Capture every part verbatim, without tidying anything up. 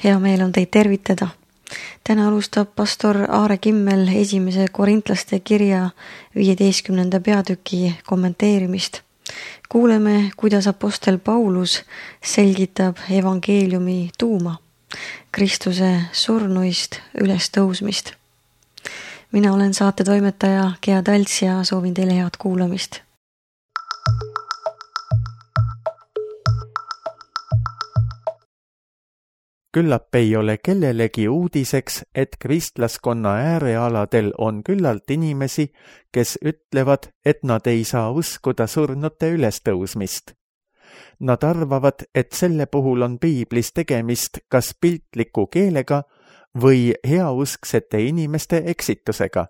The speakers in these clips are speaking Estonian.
Hea meel on teid tervitada. Täna alustab pastor Aare Kimmel esimese Korintlaste kirja viieteistkümnenda peatüki kommenteerimist. Kuuleme, kuidas apostel Paulus selgitab evangeeliumi tuuma, Kristuse surnuist ülestõusmist. Mina olen saate toimetaja Gea Talts ja soovin teile head kuulamist. Küllap ei ole kellelegi uudiseks, et kristlaskonna äärealadel on küllalt inimesi, kes ütlevad, et nad ei saa uskuda surnute ülestõusmist. Nad arvavad, et selle puhul on piiblis tegemist kas piltliku keelega või heausksete inimeste eksitusega.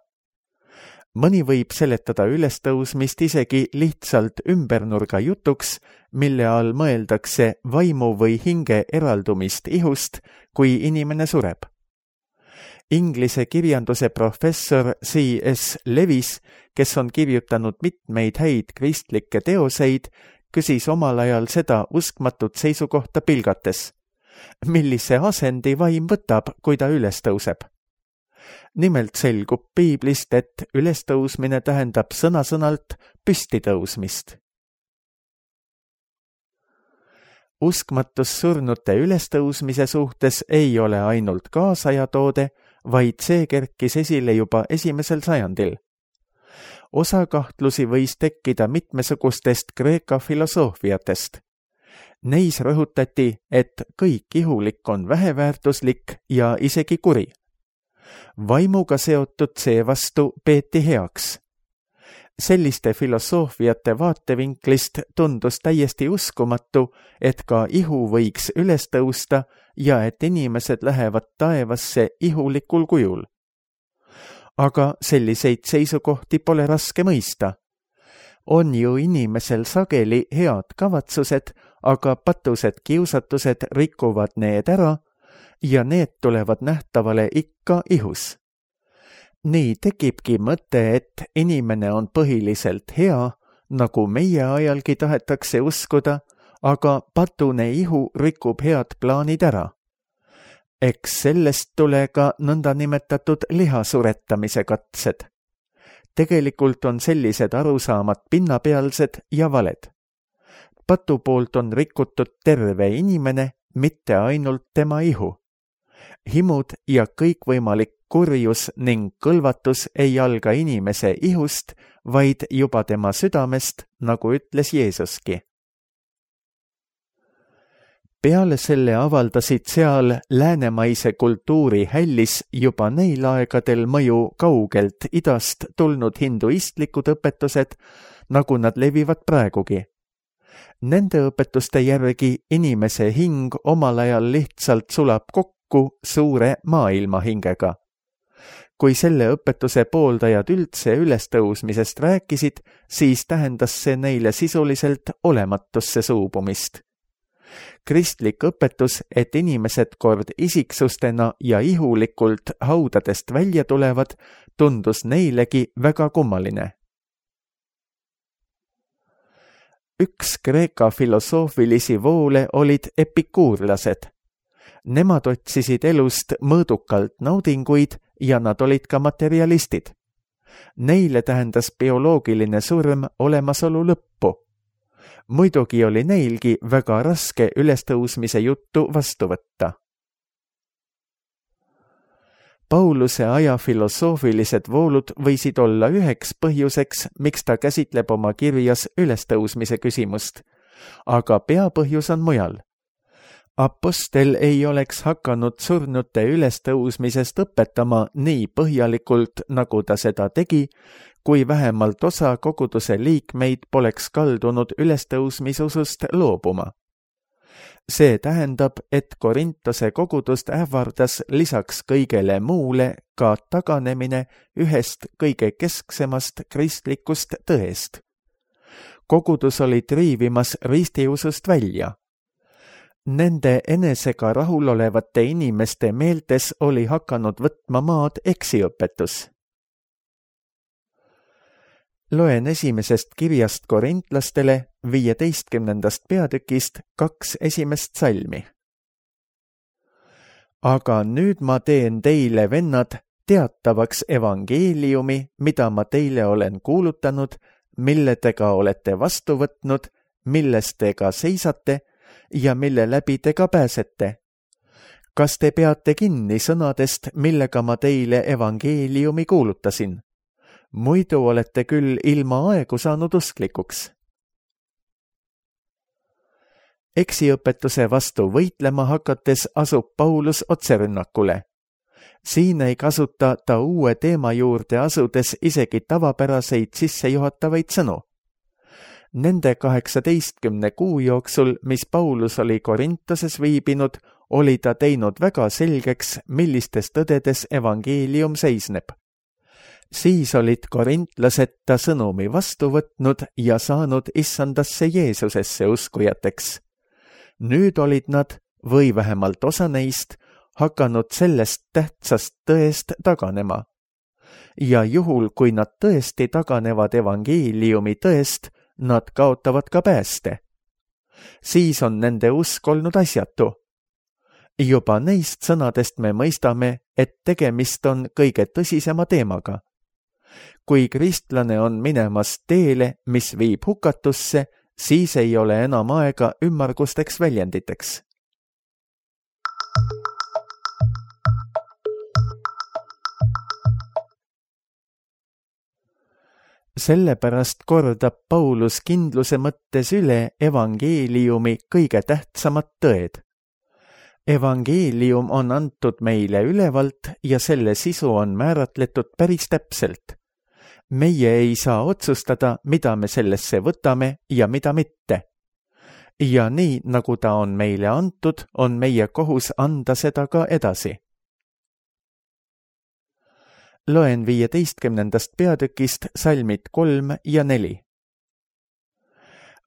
Mõni võib seletada ülestõusmist isegi lihtsalt ümbernurga jutuks, mille all mõeldakse vaimu või hinge eraldumist ihust, kui inimene sureb. Inglise kirjanduse professor C S Lewis, kes on kirjutanud mitmeid häid kristlikke teoseid, küsis omal ajal seda uskmatut seisukohta pilgates. Millise asendi vaim võtab, kui ta üles tõuseb? Nimelt selgub piiblist, et ülestõusmine tähendab sõna-sõnalt püstitõusmist. Uskmatus surnute ülestõusmise suhtes ei ole ainult kaasajatoode, vaid see kerkis esile juba esimesel sajandil. Osa kahtlusi võis tekkida mitmesugustest Kreeka filosoofiatest. Neis rõhutati, et kõik ihulik on väheväärtuslik ja isegi kuri. Vaimuga seotud seevastu peeti heaks. Selliste filosoofiate vaatevinklist tundus täiesti uskumatu, et ka ihu võiks üles tõusta ja et inimesed lähevad taevasse ihulikul kujul. Aga selliseid seisukohti pole raske mõista. On ju inimesel sageli head kavatsused, aga patused kiusatused rikuvad need ära ja need tulevad nähtavale ikka ihus. Nii tekibki mõte, et inimene on põhiliselt hea, nagu meie ajalgi tahetakse uskuda, aga patune ihu rikub head plaanid ära. Eks sellest tule ka nõndanimetatud lihasuretamise katsed. Tegelikult on sellised arusaamad pinnapealsed ja valed. Patu poolt on rikutud terve inimene, mitte ainult tema ihu. Himud ja kõikvõimalik kurjus ning kõlvatus ei alga inimese ihust, vaid juba tema südamest, nagu ütles Jeesuski. Peale selle avaldasid seal läänemaise kultuuri hällis juba neil aegadel mõju kaugelt idast tulnud hinduistlikud õpetused, nagu nad levivad praegugi. Nende õpetuste järgi inimese hing omal ajal lihtsalt sulab kokku suure maailma hingega. Kui selle õpetuse pooldajad üldse ülestõusmisest rääkisid, siis tähendas see neile sisuliselt olematusse suubumist. Kristlik õpetus, et inimesed kord isiksustena ja ihulikult haudadest välja tulevad, tundus neilegi väga kummaline. Üks Kreeka filosoofilisi voole olid epikuurlased. Nemad otsisid elust mõõdukalt naudinguid ja nad olid ka materialistid. Neile tähendas bioloogiline surm olemasolu lõppu. Muidugi oli neilgi väga raske ülestõusmise juttu vastu võtta. Pauluse aja filosoofilised voolud võisid olla üheks põhjuseks, miks ta käsitleb oma kirjas ülestõusmise küsimust, aga peapõhjus on mujal. Apostel ei oleks hakanud surnute ülestõusmisest õpetama nii põhjalikult, nagu ta seda tegi, kui vähemalt osa koguduse liikmeid poleks kaldunud ülestõusmisusust loobuma. See tähendab, et Korintose kogudust ähvardas lisaks kõigele muule ka taganemine ühest kõige kesksemast kristlikust tõest. Kogudus oli triivimas ristiusust välja. Nende enesega rahulolevate inimeste meeltes oli hakanud võtma maad eksiõpetus. Loen esimesest kirjast korintlastele viieteistkümnendast peatükist kaks esimest salmi. aga nüüd ma teen teile, vennad, teatavaks evangeeliumi, mida ma teile olen kuulutanud, mille te ka olete vastu võtnud, milles te ka seisate ja mille läbi te ka pääsete. Kas te peate kinni sõnadest, millega ma teile evangeeliumi kuulutasin? Muidu olete küll ilma aegu saanud usklikuks. Eksiõpetuse vastu võitlema hakates asub Paulus otserünnakule. Siin ei kasuta ta uue teema juurde asudes isegi tavapäraseid sissejuhatavaid sõnu. Nende kaheksateistkümne kuu jooksul, mis Paulus oli Korintoses viibinud, oli ta teinud väga selgeks, millistes tõdedes evangeelium seisneb. Siis olid korintlased ta sõnumi vastu võtnud ja saanud issandasse Jeesusesse uskujateks. Nüüd olid nad, või vähemalt osa neist, hakanud sellest tähtsast tõest taganema. Ja juhul, kui nad tõesti taganevad evangeeliumi tõest, nad kaotavad ka pääste. Siis on nende usk olnud asjatu. Juba neist sõnadest me mõistame, et tegemist on kõige tõsisema teemaga. Kui kristlane on minemas teele, mis viib hukatusse, siis ei ole enam aega ümmargusteks väljenditeks. Sellepärast kordab Paulus kindluse mõttes üle evangeeliumi kõige tähtsamad tõed. Evangeelium on antud meile ülevalt ja selle sisu on määratletud päris täpselt. Meie ei saa otsustada, mida me sellesse võtame ja mida mitte. Ja nii, nagu ta on meile antud, on meie kohus anda seda ka edasi. Loen viieteistkümnendast peatükist salmid kolm ja neli.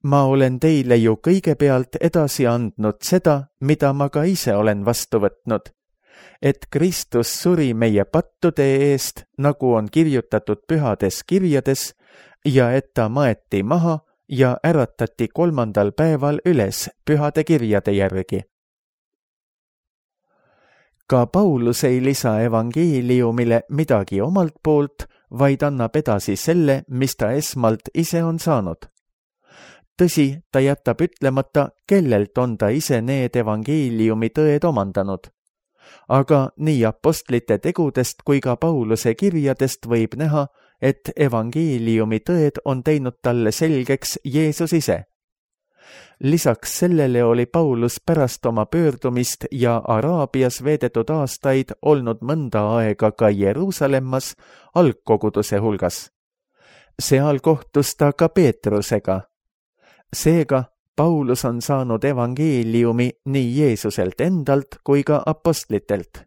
Ma olen teile ju kõigepealt edasi andnud seda, mida ma ka ise olen vastu võtnud, et Kristus suri meie pattude eest, nagu on kirjutatud pühades kirjades, ja et ta maeti maha ja äratati kolmandal päeval üles pühade kirjade järgi. Ka Paulus ei lisa evangeeliumile midagi omalt poolt, vaid annab edasi selle, mis ta esmalt ise on saanud. Tõsi, ta jätab ütlemata, kellelt on ta ise need evangeeliumi tõed omandanud. Aga nii apostlite tegudest kui ka Pauluse kirjadest võib näha, et evangeeliumi tõed on teinud talle selgeks Jeesus ise. Lisaks sellele oli Paulus pärast oma pöördumist ja Araabias veedetud aastaid olnud mõnda aega ka Jeruusalemmas algkoguduse hulgas. Seal kohtus ta ka Peetrusega. Seega Paulus on saanud evangeeliumi nii Jeesuselt endalt kui ka apostlitelt.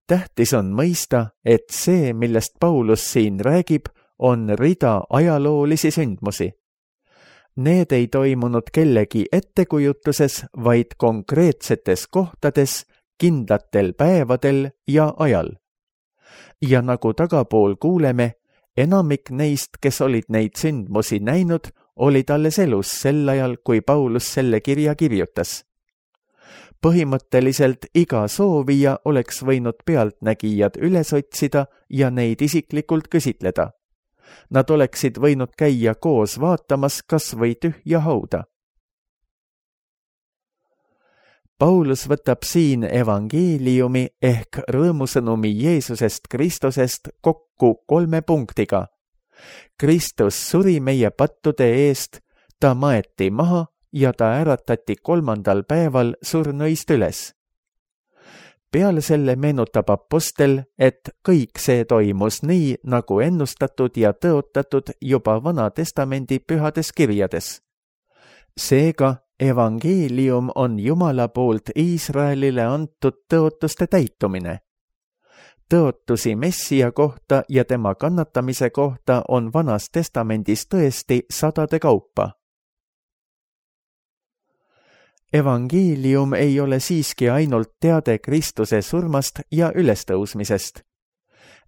Tähtis on mõista, et see, millest Paulus siin räägib, on rida ajaloolisi sündmusi. Need ei toimunud kellegi ettekujutuses, vaid konkreetsetes kohtades, kindlatel päevadel ja ajal. Ja nagu tagapool kuuleme, enamik neist, kes olid neid sündmusi näinud, olid alles elus sel ajal, kui Paulus selle kirja kirjutas. Põhimõtteliselt iga soovija oleks võinud pealtnägijad üles otsida ja neid isiklikult küsitleda. Nad oleksid võinud käia koos vaatamas kas või tühja hauda. Paulus võtab siin evangeeliumi ehk rõõmusõnumi Jeesusest Kristusest kokku kolme punktiga. Kristus suri meie pattude eest, ta maeti maha ja ta äratati kolmandal päeval surnuist üles. Peale selle meenutab apostel, et kõik see toimus nii, nagu ennustatud ja tõotatud juba Vana Testamendi pühades kirjades. Seega, evangeelium on Jumala poolt Iisraelile antud tõotuste täitumine. Tõotusi Messia kohta ja tema kannatamise kohta on Vanas Testamendis tõesti sadade kaupa. Evangeelium ei ole siiski ainult teade Kristuse surmast ja ülestõusmisest.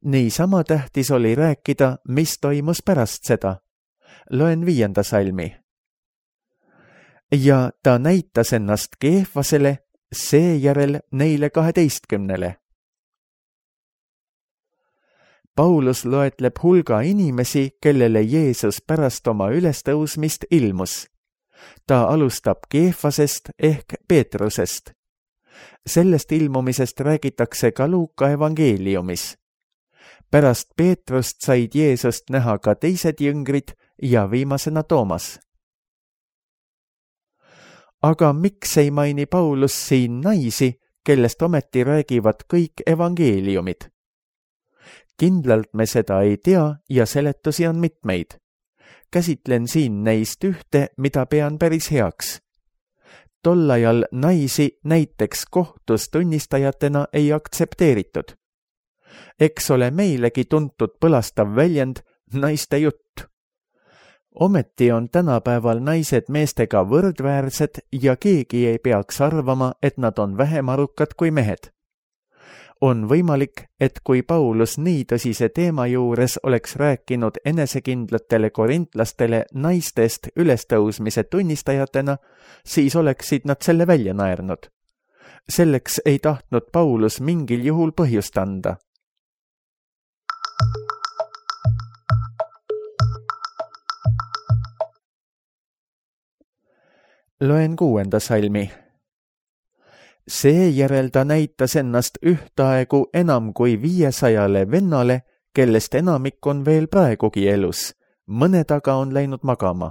Niisama tähtis oli rääkida, mis toimus pärast seda. Loen viienda salmi. Ja ta näitas ennast Keefasele seejärel neile kaheteistkümnele. Paulus loetleb hulga inimesi, kellele Jeesus pärast oma ülestõusmist ilmus. Ta alustab Keefasest ehk Peetrusest. Sellest ilmumisest räägitakse ka Luuka evangeeliumis. Pärast Peetrust said Jeesust näha ka teised jüngrid ja viimasena Toomas. Aga miks ei maini Paulus siin naisi, kellest ometi räägivad kõik evangeeliumid? Kindlalt me seda ei tea ja seletusi on mitmeid. Käsitlen siin neist ühte, mida pean päris heaks. Tol ajal naisi näiteks kohtus tunnistajatena ei aktsepteeritud. Eks ole meilegi tuntud põlastav väljend naiste jutt. Ometi on tänapäeval naised meestega võrdväärsed ja keegi ei peaks arvama, et nad on vähem arukad kui mehed. On võimalik, et kui Paulus nii tõsise teema juures oleks rääkinud enesekindlatele korintlastele naistest ülestõusmise tunnistajatena, siis oleksid nad selle välja naernud. Selleks ei tahtnud Paulus mingil juhul põhjust anda. Loen kuuenda salmi. Seejärel ta näitas ennast ühtaegu enam kui viiesajale vennale, kellest enamik on veel praegugi elus, mõned aga on läinud magama.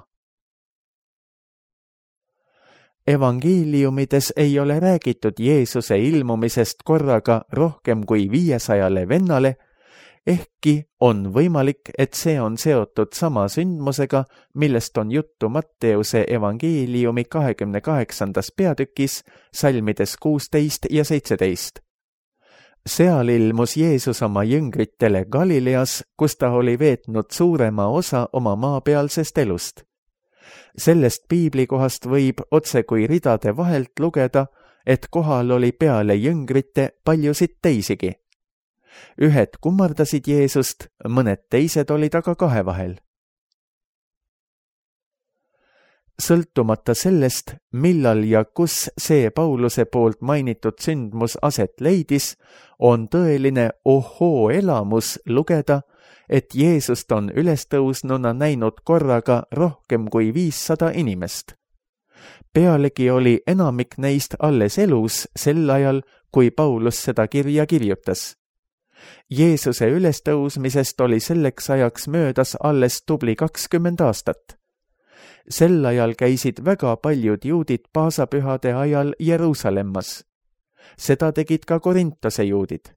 Evangeeliumides ei ole räägitud Jeesuse ilmumisest korraga rohkem kui viiesajale vennale, ehkki on võimalik, et see on seotud sama sündmusega, millest on juttu Matteuse evangeeliumi kahekümne kaheksandas peatükis, salmides kuusteist ja seitseteist. Seal ilmus Jeesus oma jüngritele Galileas, kus ta oli veetnud suurema osa oma maapealsest elust. Sellest piiblikohast võib otse kui ridade vahelt lugeda, et kohal oli peale jüngrite paljusid teisigi. Ühed kummardasid Jeesust, mõned teised olid aga kahe vahel. Sõltumata sellest, millal ja kus see Pauluse poolt mainitud sündmus aset leidis, on tõeline ohoo elamus lugeda, et Jeesust on ülestõusnuna näinud korraga rohkem kui viissada inimest. Pealegi oli enamik neist alles elus sel ajal, kui Paulus seda kirja kirjutas. Jeesuse ülestõusmisest oli selleks ajaks möödas alles tubli kakskümmend aastat. Sel ajal käisid väga paljud juudid paasapühade ajal Jeruusalemmas. Seda tegid ka Korintose juudid.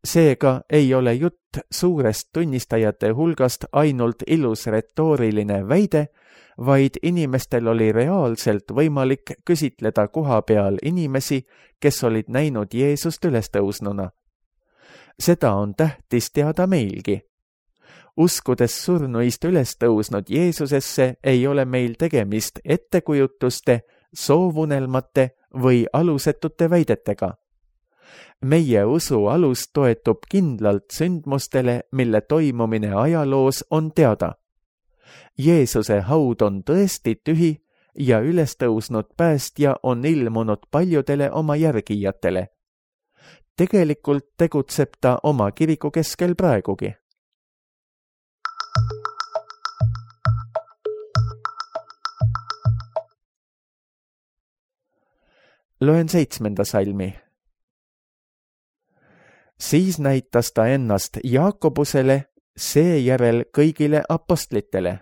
Seega ei ole jutt suurest tunnistajate hulgast ainult ilus retooriline väide, vaid inimestel oli reaalselt võimalik küsitleda koha peal inimesi, kes olid näinud Jeesust ülestõusnuna. Seda on tähtis teada meilgi. Uskudes surnuist ülestõusnud Jeesusesse ei ole meil tegemist ettekujutuste, soovunelmate või alusetute väidetega. Meie usu alus toetub kindlalt sündmustele, mille toimumine ajaloos on teada. Jeesuse haud on tõesti tühi ja ülestõusnud päästja on ilmunud paljudele oma järgijatele. Tegelikult tegutseb ta oma kiriku keskel praegugi. Loen seitsmenda salmi. Siis näitas ta ennast Jaakobusele, seejärel kõigile apostlitele.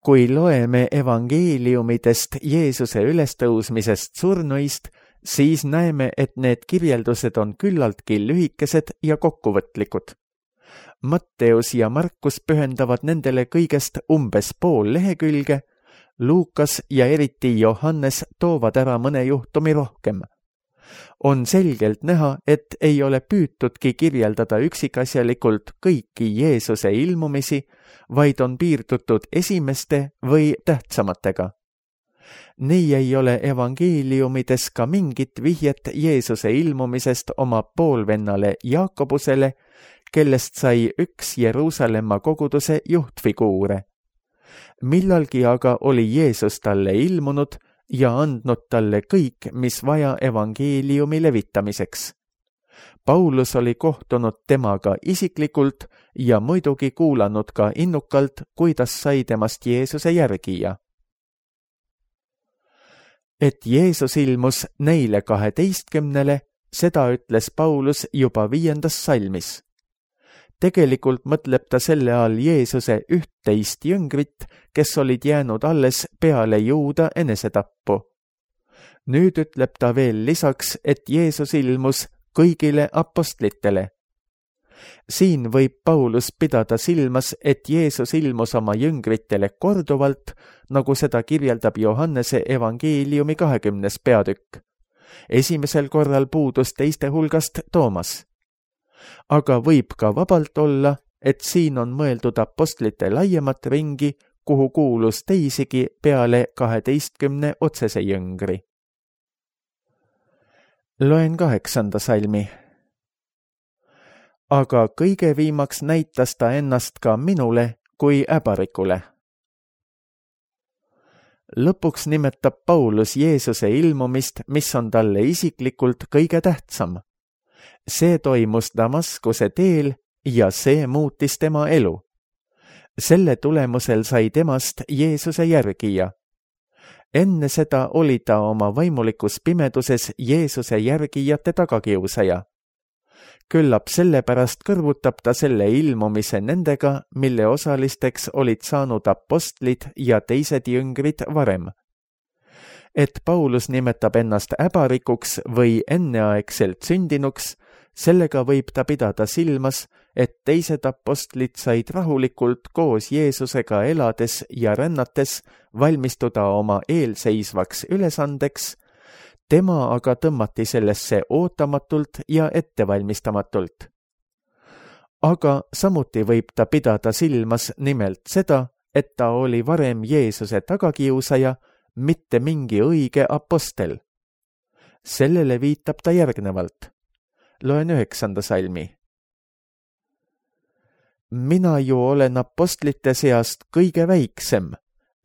Kui loeme evangeeliumidest Jeesuse ülestõusmisest surnuist, siis näeme, et need kirjeldused on küllaltki lühikesed ja kokkuvõtlikud. Matteus ja Markus pühendavad nendele kõigest umbes pool lehekülge, Luukas ja eriti Johannes toovad ära mõne juhtumi rohkem. On selgelt näha, et ei ole püütudki kirjeldada üksikasjalikult kõiki Jeesuse ilmumisi, vaid on piirdutud esimeste või tähtsamatega. Nii ei ole evangeeliumides ka mingit vihjet Jeesuse ilmumisest oma poolvennale Jaakobusele, kellest sai üks Jeruusalemma koguduse juhtfiguure. Millalgi aga oli Jeesus talle ilmunud ja andnud talle kõik, mis vaja evangeeliumi levitamiseks. Paulus oli kohtunud temaga isiklikult ja muidugi kuulanud ka innukalt, kuidas sai temast Jeesuse järgija. Et Jeesus ilmus neile kaheteistkümnele, seda ütles Paulus juba viiendas salmis. Tegelikult mõtleb ta selle all Jeesuse üht-teist jüngrit, kes olid jäänud alles peale Juuda enesetappu. Nüüd ütleb ta veel lisaks, et Jeesus ilmus kõigile apostlitele. Siin võib Paulus pidada silmas, et Jeesus ilmus oma jüngritele korduvalt, nagu seda kirjeldab Johannese evangeeliumi kahekümnes peatükk. Esimesel korral puudus teiste hulgast Toomas. Aga võib ka vabalt olla, et siin on mõeldud apostlite laiemat ringi, kuhu kuulus teisigi peale kaheteistkümne otsese jüngri. Loen kaheksanda salmi. Aga kõige viimaks näitas ta ennast ka minule kui äbarikule. Lõpuks nimetab Paulus Jeesuse ilmumist, mis on talle isiklikult kõige tähtsam. See toimus Damaskuse teel ja see muutis tema elu. Selle tulemusel sai temast Jeesuse järgija. Enne seda oli ta oma vaimulikus pimeduses Jeesuse järgijate tagakiusaja. Küllap sellepärast kõrvutab ta selle ilmumise nendega, mille osalisteks olid saanud apostlid ja teised jüngrid varem. Et Paulus nimetab ennast äbarikuks või enneaegselt sündinuks, sellega võib ta pidada silmas, et teised apostlid said rahulikult koos Jeesusega elades ja rännates valmistuda oma eelseisvaks ülesandeks, tema aga tõmmati sellesse ootamatult ja ettevalmistamatult. Aga samuti võib ta pidada silmas nimelt seda, et ta oli varem Jeesuse tagakiusaja, mitte mingi õige apostel. Sellele viitab ta järgnevalt. Loen üheksanda salmi. Mina ju olen apostlite seast kõige väiksem,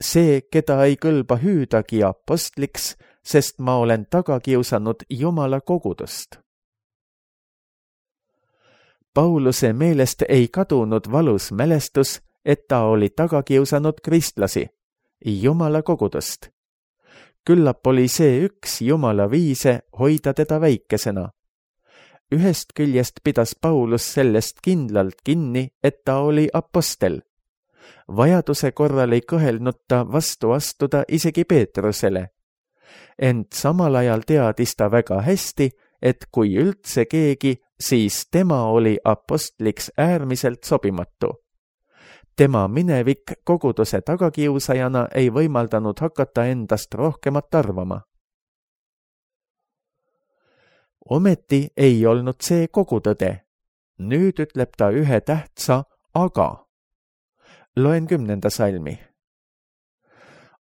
see, keda ei kõlba hüüdagi apostliks, sest ma olen tagakiusanud Jumala kogudust. Pauluse meelest ei kadunud valus mälestus, et ta oli tagakiusanud kristlasi, Jumala kogudust. Küllap oli see üks Jumala viise hoida teda väikesena. Ühest küljest pidas Paulus sellest kindlalt kinni, et ta oli apostel. Vajaduse korral ei kõhelnud ta vastu astuda isegi Peetrusele. Ent samal ajal teadis ta väga hästi, et kui üldse keegi, siis tema oli apostliks äärmiselt sobimatu. Tema minevik koguduse tagakiusajana ei võimaldanud hakata endast rohkemat arvama. Ometi ei olnud see kogu tõde. Nüüd ütleb ta ühe tähtsa aga. Loen kümnenda salmi.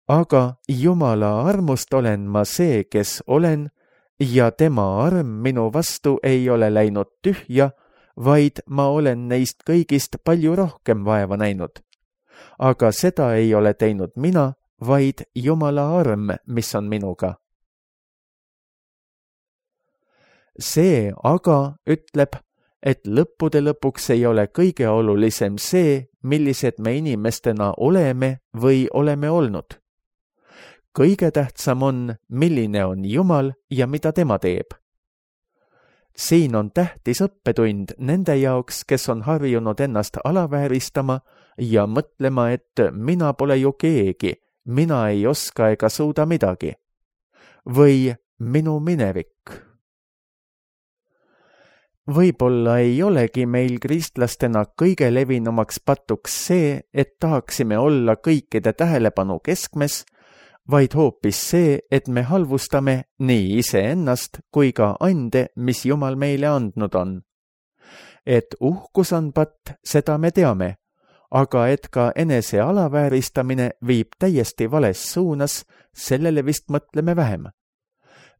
Aga Jumala armust olen ma see, kes olen, ja tema arm minu vastu ei ole läinud tühja, vaid ma olen neist kõigist palju rohkem vaeva näinud. Aga seda ei ole teinud mina, vaid Jumala arm, mis on minuga. See aga ütleb, et lõppude lõpuks ei ole kõige olulisem see, millised me inimestena oleme või oleme olnud. Kõige tähtsam on, milline on Jumal ja mida tema teeb. Siin on tähtis õppetund nende jaoks, kes on harjunud ennast alavääristama ja mõtlema, et mina pole ju keegi, mina ei oska ega suuda midagi. Või minu minevik. Võib-olla ei olegi meil kristlastena kõige levinumaks patuks see, et tahaksime olla kõikide tähelepanu keskmes, vaid hoopis see, et me halvustame nii iseennast kui ka ande, mis Jumal meile andnud on. Et uhkus on patt, seda me teame, aga et ka enese alavääristamine viib täiesti vales suunas, sellele vist mõtleme vähem.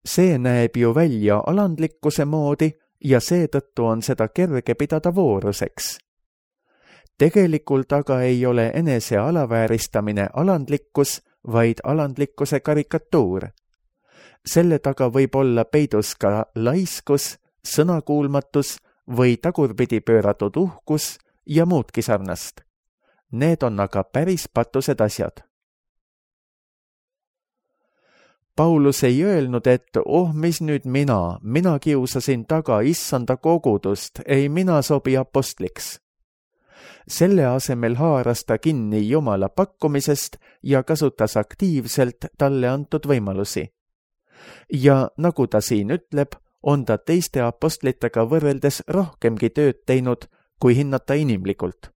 See näeb ju välja alandlikkuse moodi, ja seetõttu on seda kerge pidada vooruseks. Tegelikult aga ei ole enese alavääristamine alandlikkus, vaid alandlikkuse karikatuur. Selle taga võib olla peidus ka laiskus, sõnakuulmatus või tagurpidi pööratud uhkus ja muudki sarnast. Need on aga päris patused asjad. Paulus ei öelnud, et oh, mis nüüd mina, mina kiusasin taga issanda kogudust, ei mina sobi apostliks. Selle asemel haaras ta kinni Jumala pakkumisest ja kasutas aktiivselt talle antud võimalusi. Ja nagu ta siin ütleb, on ta teiste apostlitega võrreldes rohkemgi tööd teinud, kui hinnata inimlikult.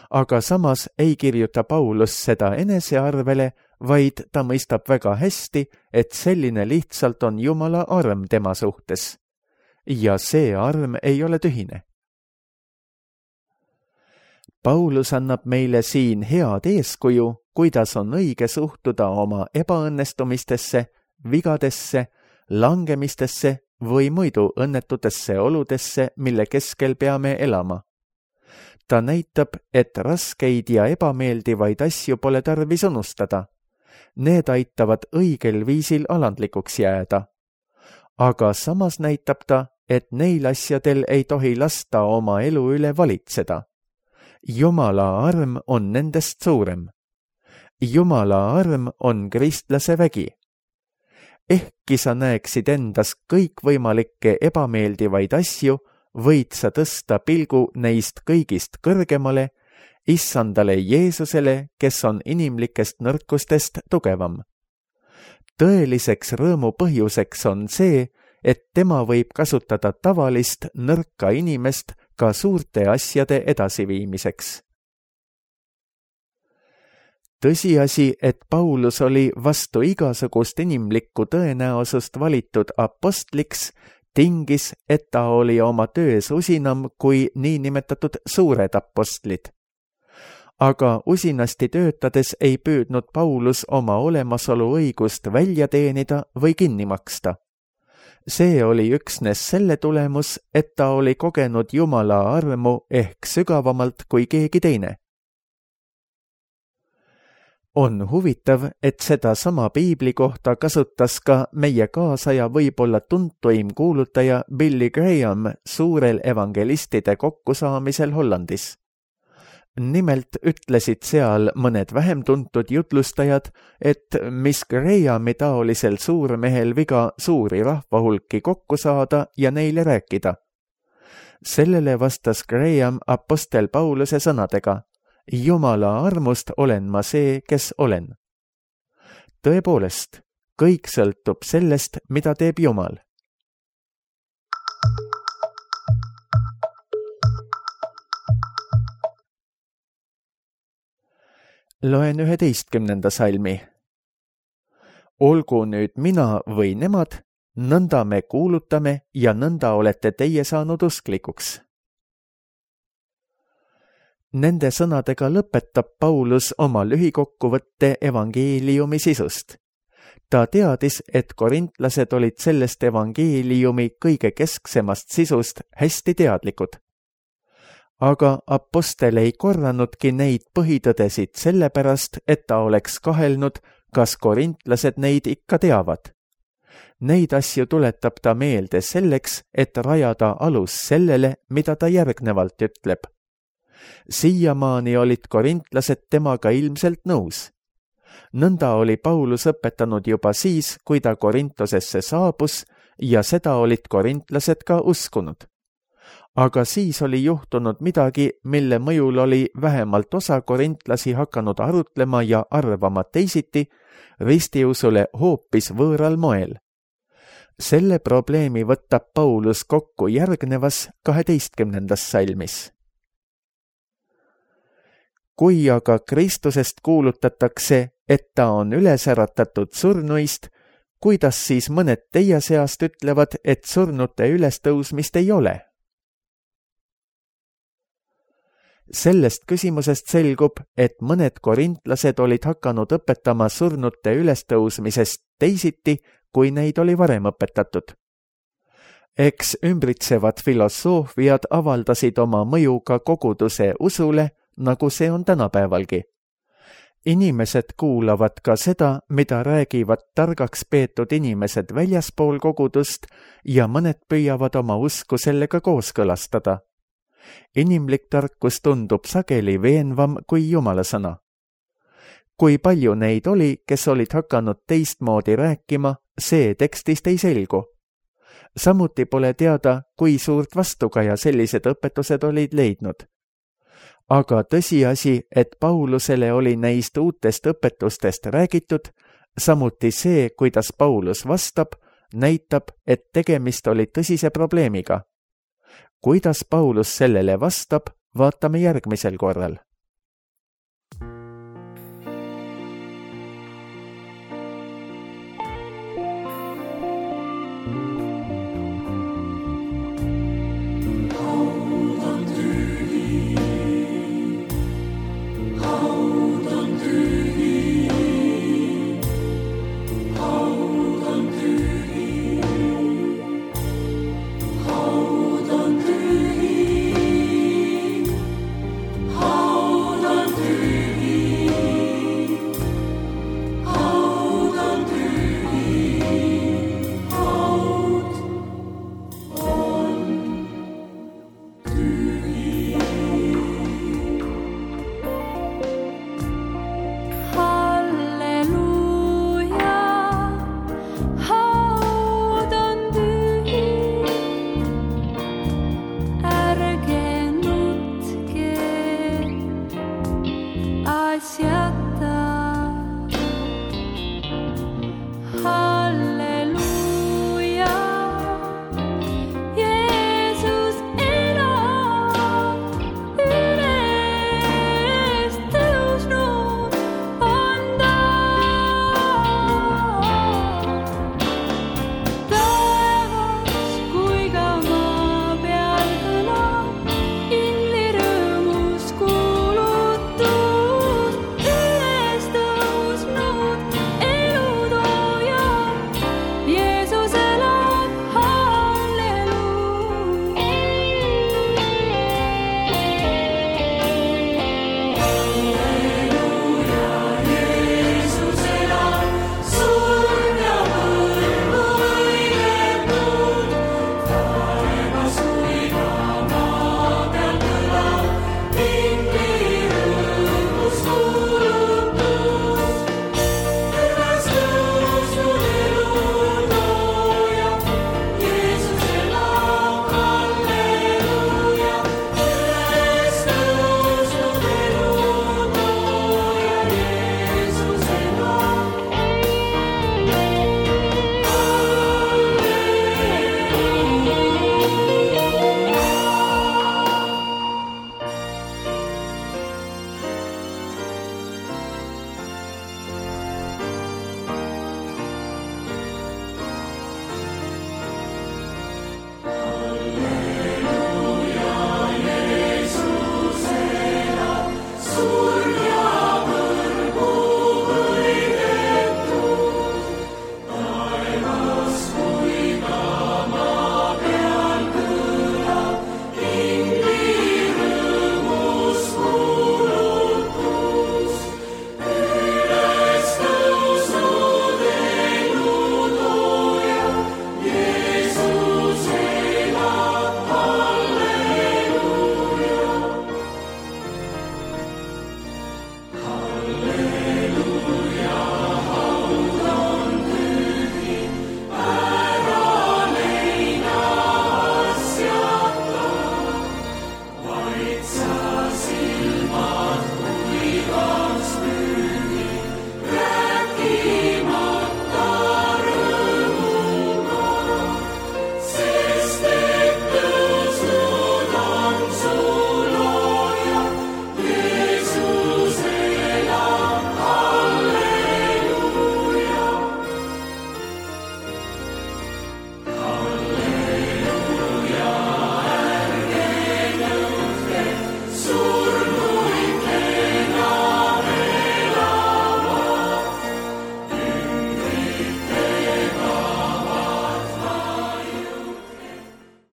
Aga samas ei kirjuta Paulus seda enesearvele, vaid ta mõistab väga hästi, et selline lihtsalt on Jumala arm tema suhtes. Ja see arm ei ole tühine. Paulus annab meile siin head eeskuju, kuidas on õige suhtuda oma ebaõnnestumistesse, vigadesse, langemistesse või muidu õnnetutesse oludesse, mille keskel peame elama. Ta näitab, et raskeid ja ebameeldivaid asju pole tarvis unustada. Need aitavad õigel viisil alandlikuks jääda. Aga samas näitab ta, et neil asjadel ei tohi lasta oma elu üle valitseda. Jumala arm on nendest suurem. Jumala arm on kristlase vägi. Ehkki sa näeksid endas kõikvõimalikke ebameeldivaid asju, võid sa tõsta pilgu neist kõigist kõrgemale, issandale Jeesusele, kes on inimlikest nõrkustest tugevam. Tõeliseks rõõmu põhjuseks on see, et tema võib kasutada tavalist nõrka inimest ka suurte asjade edasiviimiseks. Tõsiasi, et Paulus oli vastu igasugust inimlikku tõenäosust valitud apostliks, tingis, et ta oli oma töös usinam kui niinimetatud suured apostlid. Aga usinasti töötades ei püüdnud Paulus oma olemasolu õigust välja teenida või kinni maksta. See oli üksnes selle tulemus, et ta oli kogenud Jumala armu ehk sügavamalt kui keegi teine. On huvitav, et seda sama piibli kohta kasutas ka meie kaasaja võib-olla tuntuim kuulutaja Billy Graham suurel evangelistide kokkusaamisel Hollandis. Nimelt ütlesid seal mõned vähem tuntud jutlustajad, et mis Grahami taolisel suurmehel viga suuri rahvahulki kokku saada ja neile rääkida. Sellele vastas Graham apostel Pauluse sõnadega: Jumala armust olen ma see, kes olen. Tõepoolest, kõik sõltub sellest, mida teeb Jumal. Loen üheteistkümnenda salmi. Olgu nüüd mina või nemad, nõnda me kuulutame ja nõnda olete teie saanud usklikuks. Nende sõnadega lõpetab Paulus oma lühikokkuvõtte evangeeliumi sisust. Ta teadis, et korintlased olid sellest evangeeliumi kõige kesksemast sisust hästi teadlikud. Aga apostel ei korranudki neid põhitõdesid sellepärast, et ta oleks kahelnud, kas korintlased neid ikka teavad. Neid asju tuletab ta meelde selleks, et rajada alus sellele, mida ta järgnevalt ütleb. Siiamaani olid korintlased temaga ilmselt nõus. Nõnda oli Paulus õpetanud juba siis, kui ta Korintosesse saabus ja seda olid korintlased ka uskunud. Aga siis oli juhtunud midagi, mille mõjul oli vähemalt osa korintlasi hakanud arutlema ja arvama teisiti, ristiusule hoopis võõral moel. Selle probleemi võtab Paulus kokku järgnevas kaheteistkümnendas salmis. Kui aga Kristusest kuulutatakse, et ta on üles äratatud surnuist, kuidas siis mõned teie seast ütlevad, et surnute ülestõusmist ei ole? Sellest küsimusest selgub, et mõned korintlased olid hakanud õpetama surnute ülestõusmisest teisiti, kui neid oli varem õpetatud. Eks ümbritsevad filosoofiad avaldasid oma mõju ka koguduse usule, nagu see on tänapäevalgi. inimesed kuulavad ka seda, mida räägivad targaks peetud inimesed väljaspool kogudust ja mõned püüavad oma usku sellega kooskõlastada. Inimlik tarkus tundub sageli veenvam kui Jumala sõna. Kui palju neid oli, kes olid hakanud teistmoodi rääkima, see tekstist ei selgu. Samuti pole teada, kui suurt vastukaja sellised õpetused olid leidnud. Aga tõsiasi, et Paulusele oli neist uutest õpetustest räägitud, samuti see, kuidas Paulus vastab, näitab, et tegemist oli tõsise probleemiga. Kuidas Paulus sellele vastab, vaatame järgmisel korral.